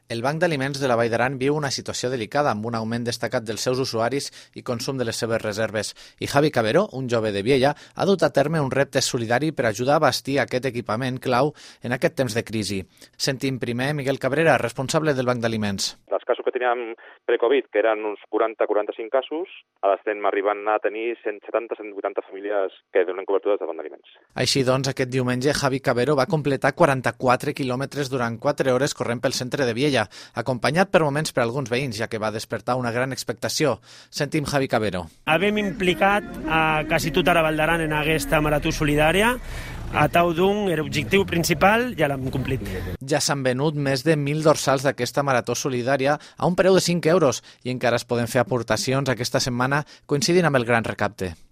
El Banc d'Aliments de la Vall d'Aran viu una situació delicada amb un augment destacat dels seus usuaris i consum de les seves reserves. I Javi Cabero, un jove de Viella, ha dut a terme un repte solidari per ajudar a bastir aquest equipament clau en aquest temps de crisi. Sentim primer Miguel Cabrera, responsable del Banc d'Aliments. Els casos que teníem pre-Covid, que eren uns 40-45 casos, ara estem arribant a tenir 170-180 famílies que donen cobertura des del Banc d'Aliments. Així doncs, aquest diumenge Javi Cabero va completar 44 quilòmetres durant 4 hores corrent pel centre de Viella, acompanyat per moments per alguns veïns, ja que va despertar una gran expectació. Sentim Javi Cabero. Havem implicat a quasi tota la Vall d'Aran en aquesta marató solidària. A tau d'un era l'objectiu principal, ja l'hem complit. Ja s'han venut més de 1.000 dorsals d'aquesta marató solidària a un preu de 5 euros i encara es poden fer aportacions aquesta setmana coincidint amb el gran recapte.